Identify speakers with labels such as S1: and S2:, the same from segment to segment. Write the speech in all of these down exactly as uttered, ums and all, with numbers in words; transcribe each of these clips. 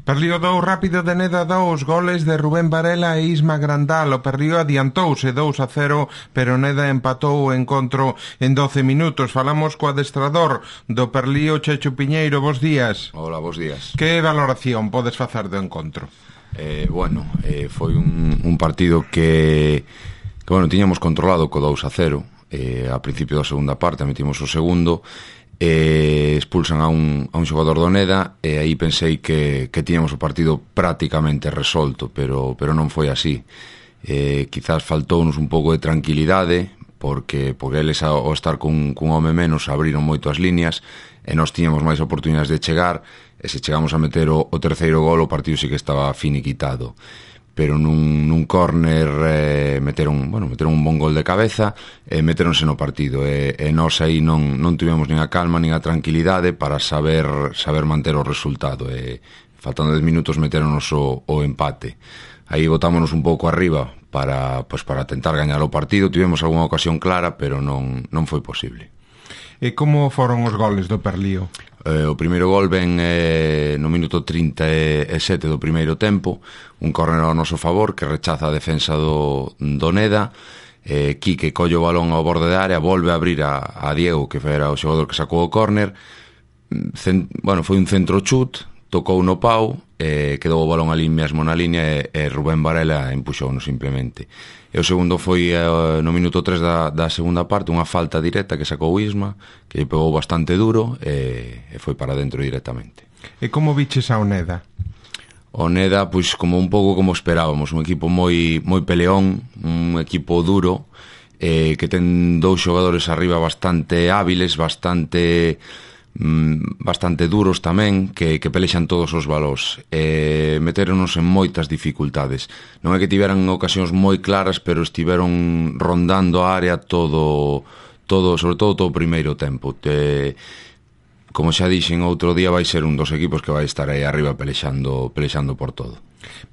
S1: Perlío dous rápido de Neda dous, goles de Rubén Varela e Isma Grandal. O Perlío adiantouse dous a cero, pero Neda empatou o encontro en doce minutos. Falamos co adestrador do Perlío, Checho Piñeiro. Bos días.
S2: Hola, bos días.
S1: Que valoración podes facer do encontro?
S2: Eh, bueno, eh, foi un, un partido que, que, bueno, tiñamos controlado co dous a cero. Eh, a principio da segunda parte metimos o segundo, eh, expulsan a un, a un xogador do Neda, e aí pensei que, que tiñamos o partido prácticamente resolto, pero, pero non foi así. Eh, quizás faltounos un pouco de tranquilidade, porque, porque eles ao estar cun, cun home menos abriron moito as líneas, e nós tiñamos máis oportunidades de chegar, e se chegamos a meter o, o terceiro gol, o partido sí que estaba finiquitado. Pero nun, nun córner eh, meteron, bueno, meteron un bon gol de cabeza e meteronse no partido, e, e nós aí non, non tivemos nin a calma nin a tranquilidade para saber saber manter o resultado, e faltando dez minutos meteronos o, o empate. Aí botámonos un pouco arriba para, pues, para tentar gañar o partido. Tivemos algunha ocasión clara, pero non, non foi posible.
S1: E como foron os goles do Perlío?
S2: Eh, o primeiro gol ven eh, no minuto trinta e sete do primeiro tempo, un córner ao noso favor que rechaza a defensa do, do Neda. eh, Quique colle o balón ao borde da área, volve a abrir a, a Diego, que era o xogador que sacou o córner. Cent, bueno, foi un centro chut, tocou no pau, eh, quedou o balón ali mesmo na línea, e, e Rubén Varela empuxouno simplemente. E o segundo foi eh, no minuto tres da, da segunda parte, unha falta directa que sacou Isma, que lle pegou bastante duro, e, e foi para dentro directamente.
S1: E como viches ao Neda?
S2: O Neda, pois, como un pouco como esperábamos, un equipo moi moi peleón, un equipo duro, eh, que ten dous xogadores arriba bastante hábiles, bastante bastante duros tamén, que, que pelexan todos os balós, e meteronos en moitas dificultades. Non é que tiveran ocasións moi claras, pero estiveron rondando a área todo, todo sobre todo todo o primeiro tempo. Te, como xa dixen outro día, vai ser un dos equipos que vai estar aí arriba pelexando, pelexando por todo.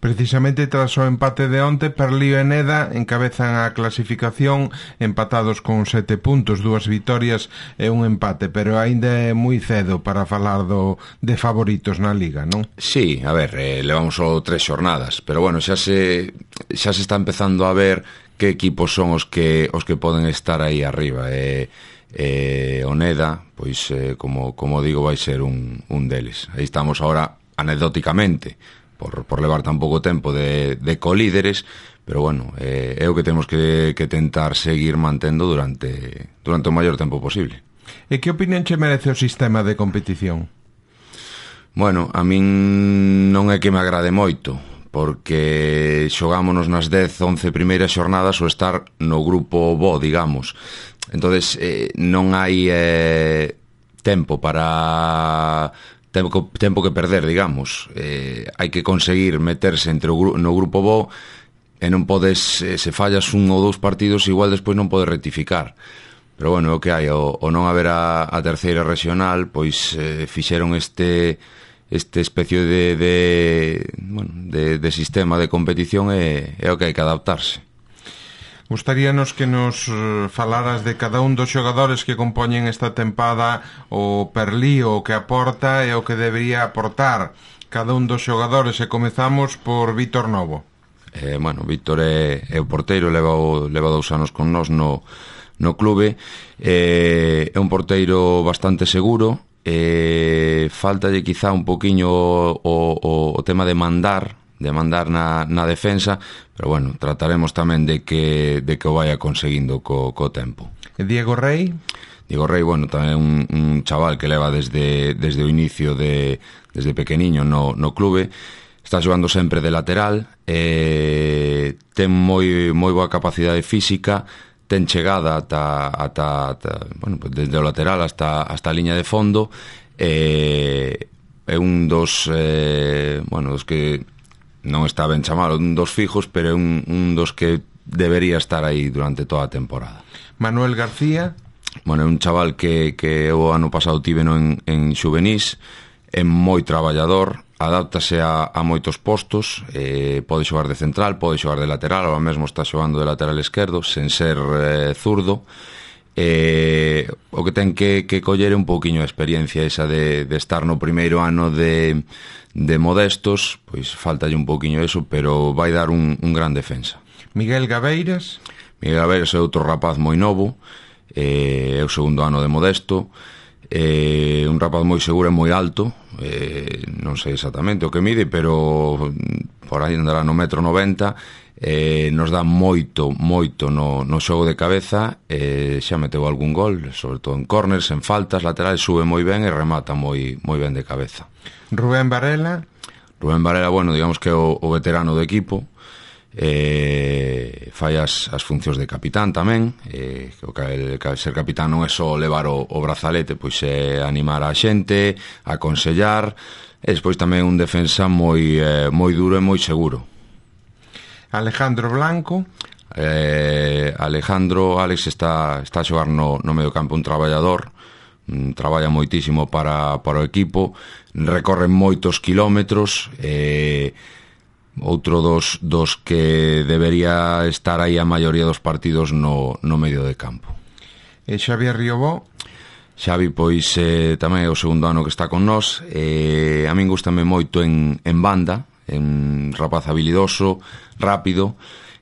S1: Precisamente tras o empate de onte, Perlío e Neda encabezan a clasificación empatados con sete puntos, dúas vitorias e un empate, pero aínda é moi cedo para falar do, de favoritos na Liga, non?
S2: Sí, a ver, eh, levamos só tres xornadas, pero bueno, xa se xa se está empezando a ver que equipos son os que os que poden estar aí arriba, e eh, o Neda, pois eh, como, como digo, vai ser un, un deles. Aí estamos ahora anecdóticamente, por, por levar tan pouco tempo de, de colíderes, pero bueno, eh, é o que temos que, que tentar seguir mantendo durante, durante o maior tempo posible.
S1: E que opinión che merece o sistema de competición?
S2: Bueno, a min non é que me agrade moito, porque xogámonos nas dez, once primeiras xornadas o estar no grupo bo, digamos. Entonces eh, non hai eh, tempo para... Tempo, tempo que perder, digamos. Eh, hai que conseguir meterse entre o, no grupo bo, e non podes, eh, se fallas un ou dous partidos, igual despois non podes rectificar. Pero bueno, é o que hai, o, o non haber a, a terceira regional, pois eh, fixeron este este especie de, de, bueno, de, de sistema de competición, e é o que hai que adaptarse.
S1: Gustaríanos que nos falaras de cada un dos xogadores que compoñen esta tempada o Perlío, o que aporta e o que debería aportar cada un dos xogadores, e comezamos por Víctor Novo.
S2: Eh, bueno, Víctor é, é o porteiro, leva, o, leva dous anos con nós no, no clube, eh, é un porteiro bastante seguro, eh, faltalle quizá un poquinho o, o, o tema de mandar, de mandar na, na defensa, pero bueno, trataremos tamén de que, de que o vaya conseguindo co, co tempo.
S1: E Diego Rey?
S2: Diego Rey, bueno, tamén un, un chaval que leva desde, desde o inicio de, desde pequeniño no, no clube, está xogando sempre de lateral, eh, ten moi, moi boa capacidade física, ten chegada ata, ata, ata bueno, desde o lateral hasta, hasta a liña de fondo, eh, é un dos eh, bueno, dos que non está ben chamado un dos fijos, pero é un, un dos que debería estar aí durante toda a temporada.
S1: Manuel García?
S2: Bueno, é un chaval que, que o ano pasado tiveno en, en xuvenís, é moi traballador, adáptase a, a moitos postos, eh, pode xogar de central, pode xogar de lateral, ahora mesmo está xogando de lateral esquerdo, sen ser eh, zurdo. Eh, o que ten que, que coller un pouquiño a experiencia esa de, de estar no primeiro ano de, de Modestos, pois faltalle un pouquiño eso, pero vai dar un, un gran defensa.
S1: Miguel Gabeiras?
S2: Miguel Gabeiras é outro rapaz moi novo, eh, é o segundo ano de Modesto, eh, un rapaz moi seguro e moi alto, eh, non sei exactamente o que mide, pero por aí andará no metro noventa. Eh, nos dá moito, moito no, no xogo de cabeza, eh, xa meteu algún gol, sobre todo en corners, en faltas laterales, sube moi ben e remata moi, moi ben de cabeza.
S1: Rubén Varela?
S2: Rubén Varela, bueno, digamos que é o, o veterano do equipo, eh, fai as, as funcións de capitán tamén, eh, que, que ser capitán non é só levar o, o brazalete, pois é animar a xente, aconsellar, e despois tamén un defensa moi, eh, moi duro e moi seguro.
S1: Alejandro Blanco?
S2: Eh, Alejandro, Alex está, está a xogar no, no medio campo, un traballador, um, traballa moitísimo para, para o equipo, recorre moitos kilómetros, eh, outro dos, dos que debería estar aí a maioría dos partidos no, no medio de campo.
S1: E Xavier Riobó?
S2: Xavi, pois, eh, tamén é o segundo ano que está con nós, eh, a min gustame moito en, en banda, en rapaz habilidoso, rápido,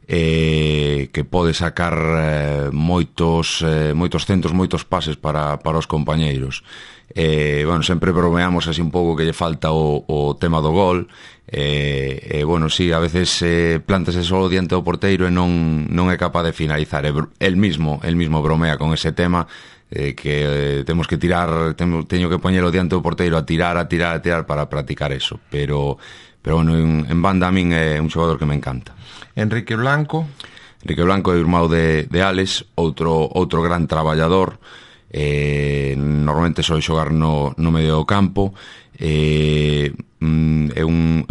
S2: eh, que pode sacar eh, moitos eh, moitos centros, moitos pases para, para os compañeiros. Eh, bueno, sempre bromeamos así un pouco que lle falta o, o tema do gol, e eh, eh, bueno, sí, a veces eh, plántase solo diante do porteiro e non, non é capaz de finalizar. El mismo, el mismo bromea con ese tema, eh, que eh, temos que tirar, temo, teño que poñelo diante do porteiro a tirar, a tirar, a tirar para practicar eso, pero pero bueno, en, en banda a min é un xogador que me encanta.
S1: Enrique Blanco?
S2: Enrique Blanco é o irmão de, de Alex, outro, outro gran traballador, eh, normalmente soe xogar no, no medio do campo, eh, é, un, é,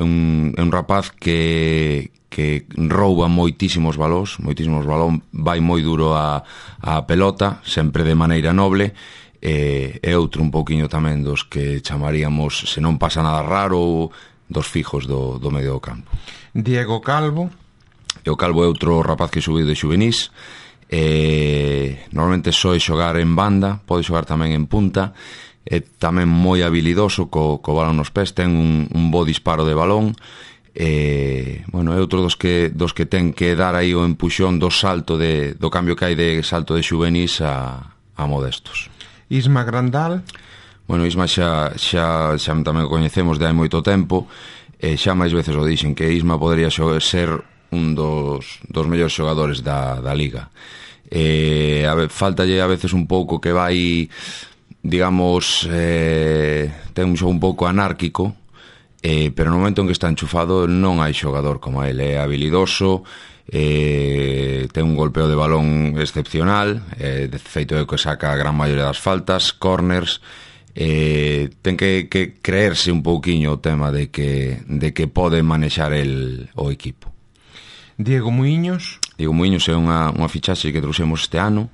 S2: un, é un rapaz que, que rouba moitísimos balóns, moitísimos balón, vai moi duro a, a pelota, sempre de maneira noble, e é outro un pouquiño tamén dos que chamaríamos, se non pasa nada raro, dos fijos do, do medio do campo.
S1: Diego Calvo?
S2: E o Calvo é outro rapaz que subiu de xuvenís, eh, normalmente soe xogar en banda, pode xogar tamén en punta, é tamén moi habilidoso co, co balón nos pés, ten un, un bo disparo de balón, eh, bueno, é outro dos que, dos que ten que dar aí o empuxón do salto de, do cambio que hai de salto de xuvenís a, a Modestos.
S1: Isma Grandal?
S2: Bueno, Isma xa, xa, xa tamén o coñecemos de hai moito tempo, e xa máis veces o dixen que Isma podería ser un dos, dos mellores xogadores da, da liga. Eh, a ve, faltalle a veces un pouco que vai, digamos, eh, ten un xogo un pouco anárquico, eh, pero no momento en que está enchufado non hai xogador como ele, é habilidoso, eh, ten un golpeo de balón excepcional, eh, de feito é que saca a gran maioría das faltas, corners. Eh, ten que, que creerse un pouquiño o tema de que, de que pode manexar el, o equipo.
S1: Diego Muiños?
S2: Diego Muiños é unha, unha fichaxe que trouxemos este ano,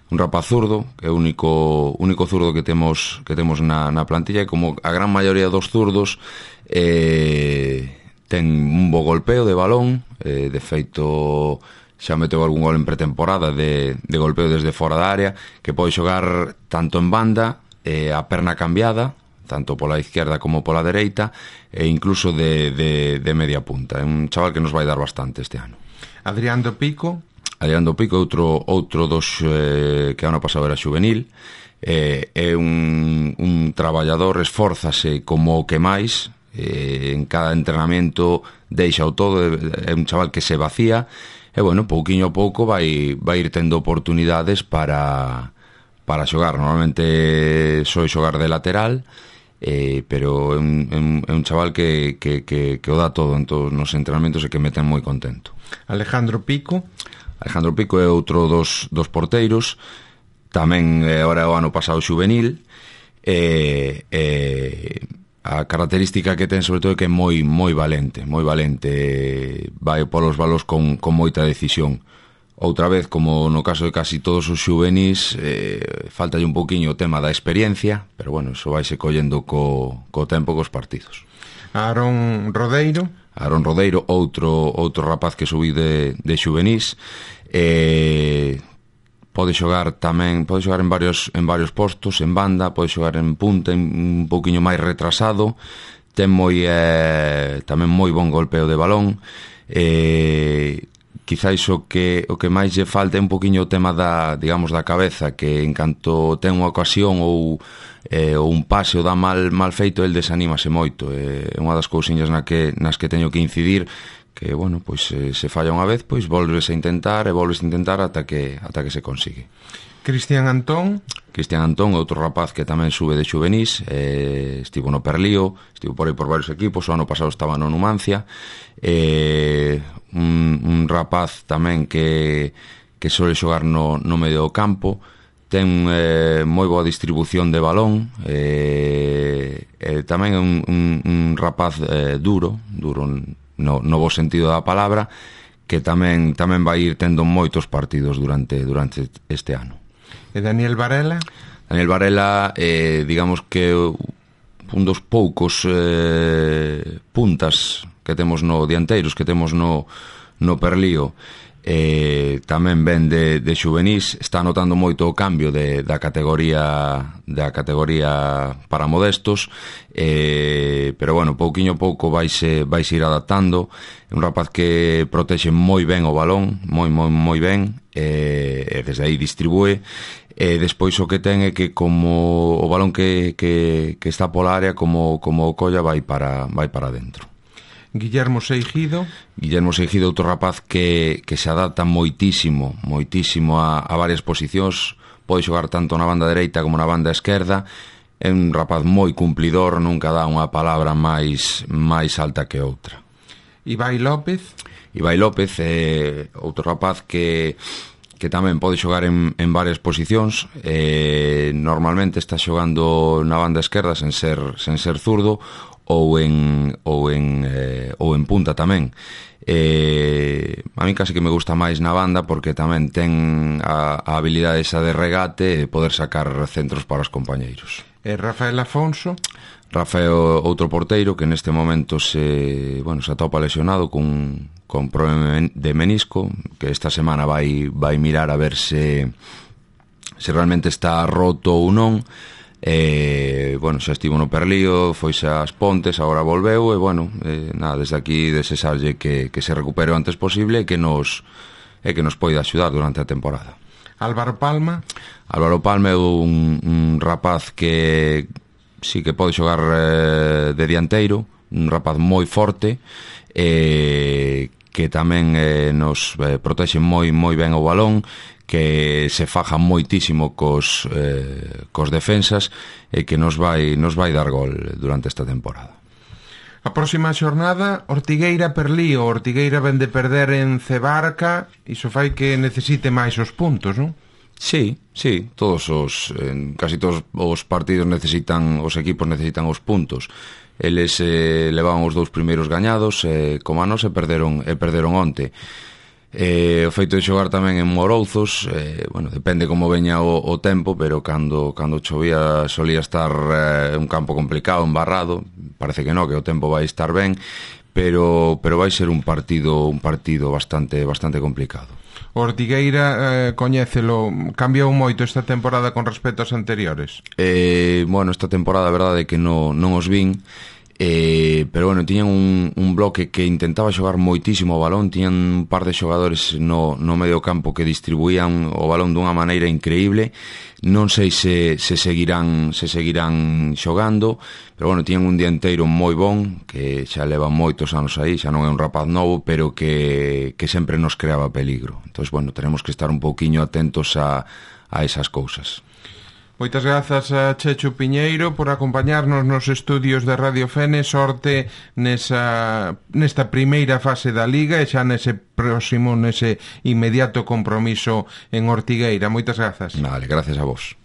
S2: un rapaz zurdo, que é o único, único zurdo que temos, que temos na, na plantilla, e como a gran maioría dos zurdos, eh, ten un bo golpeo de balón, eh, de feito xa meteu algún gol en pretemporada de, de golpeo desde fora da área, que pode xogar tanto en banda, eh, a perna cambiada, tanto pola izquierda como pola dereita, e incluso de, de, de media punta. É un chaval que nos vai dar bastante este ano.
S1: Adrián do Pico?
S2: Adrián do Pico, outro, outro dos eh, que ano pasado era xuvenil, eh, é un, un traballador, esfórzase como o que máis, eh, en cada entrenamento deixa o todo, é un chaval que se vacía, e bueno, pouquiño a pouco vai, vai ir tendo oportunidades para... para xogar. Normalmente soy xogar de lateral, eh, pero é un, é un, é un chaval que, que, que, que o dá todo en todos os entrenamentos e que me ten moi contento.
S1: Alejandro Pico?
S2: Alejandro Pico é outro dos, dos porteiros, tamén eh, ahora o ano pasado xuvenil, e eh, eh, a característica que ten sobre todo é que é moi moi valente, moi valente, vai polos balos con, con moita decisión. Outra vez, como no caso de casi todos os xuvenís, eh, faltalle un pouquiño o tema da experiencia, pero bueno, iso vaise collendo co, co tempo cos partidos.
S1: Aarón Rodeiro?
S2: Aarón Rodeiro, outro outro rapaz que subí de, de xuvenís, eh, pode xogar tamén, pode xogar en varios en varios postos, en banda, pode xogar en punta, en, un pouquiño máis retrasado, ten moi eh, tamén moi bon golpeo de balón. Eh, quizáis o que o que máis lle falta é un poquiño o tema da, digamos, da cabeza, que en canto ten unha ocasión ou eh, ou un pase ou dá mal mal feito, el desanímase moito. É eh, unha das cousiñas na que, nas que teño que incidir, que, bueno, pois eh, se falla unha vez, pois volves a intentar e volves a intentar ata que ata que se consigue.
S1: Cristian Antón.
S2: Cristian Antón, outro rapaz que tamén sube de xuvenís, eh, estivo no Perlío, estivo por aí por varios equipos, o ano pasado estaba no Numancia, eh, un, un rapaz tamén que, que sole xogar no, no medio do campo, ten eh, moi boa distribución de balón, eh, eh, tamén é un, un, un rapaz eh, duro, duro no, no bo sentido da palabra, que tamén tamén vai ir tendo moitos partidos durante durante este ano.
S1: E Daniel Varela?
S2: Daniel Varela, eh, digamos que un dos poucos eh, puntas que temos no dianteiros, que temos no, no Perlío, eh, tamén ven de, de xuvenís, está notando moito o cambio de, da categoría da categoría para modestos, eh, pero bueno, pouquiño a pouco vaise, vaise ir adaptando. É un rapaz que protexe moi ben o balón, moi, moi, moi ben, e eh, desde aí distribúe. E despois o que ten é que como o balón que, que, que está pola área, como, como o colla, vai para, vai para dentro.
S1: Guillermo Seijido.
S2: Guillermo Seijido, outro rapaz que, que se adapta moitísimo, moitísimo a, a varias posicións, pode xogar tanto na banda dereita como na banda esquerda, é un rapaz moi cumplidor, nunca dá unha palabra máis, máis alta que outra.
S1: Ibai López.
S2: Ibai López é outro rapaz que que tamén pode xogar en, en varias posicións, eh, normalmente está xogando na banda esquerda sen ser, sen ser zurdo, ou en ou en eh, ou en punta tamén. Eh, a mí casi que me gusta máis na banda, porque tamén ten a, a habilidade esa de regate e poder sacar centros para os compañeiros.
S1: E Rafael Afonso.
S2: Rafael, outro porteiro que neste momento se, bueno, se atopa lesionado con, con problema de menisco, que esta semana vai, vai mirar a ver se se realmente está roto ou non. Eh, bueno, xa estivo no Perlío, foise ás Pontes, agora volveu, e bueno, eh, nada, desde aquí desexarlle que, que se recupere o antes posible e que nos e que nos poida axudar durante a temporada.
S1: Álvaro Palma.
S2: Álvaro Palma é un, un rapaz que sí que pode xogar eh, de dianteiro, un rapaz moi forte, eh, que tamén eh, nos eh, protexe moi moi ben o balón, que se faja moitísimo cos, eh, cos defensas, e que nos vai, nos vai dar gol durante esta temporada.
S1: A próxima xornada, Ortigueira Perlío. Ortigueira ven de perder en Cebarca, iso fai que necesite máis os puntos, non?
S2: Sí, sí, todos os en casi todos os partidos necesitan, os equipos necesitan os puntos. Eles eh, levaban os dous primeiros gañados, eh, como a nos, e perderon, e perderon onte. Eh, o feito de xogar tamén en Morouzos, eh, bueno, depende como veña o, o tempo, pero cando, cando chovía solía estar eh, un campo complicado, embarrado. Parece que no, que o tempo vai estar ben, pero, pero vai ser un partido un partido bastante bastante complicado.
S1: O Ortigueira, eh, coñécelo, cambiou moito esta temporada con respecto ás anteriores?
S2: Eh, bueno, esta temporada a verdade é que non, non os vin, eh, pero bueno, tiñan un, un bloque que intentaba xogar moitísimo o balón, tiñan un par de xogadores no, no medio campo que distribuían o balón dunha maneira increíble. Non sei se, se seguirán se seguirán xogando, pero bueno, tiñan un dianteiro moi bon, que xa leva moitos anos aí, xa non é un rapaz novo, pero que, que sempre nos creaba peligro. Entón, bueno, tenemos que estar un pouquiño atentos a, a esas cousas.
S1: Moitas grazas a Chechu Piñeiro por acompañarnos nos estudios de Radio Fene. Sorte nesa, nesta primeira fase da Liga e xa nese próximo, nese inmediato compromiso en Ortigueira. Moitas grazas.
S2: Vale, gracias a vos.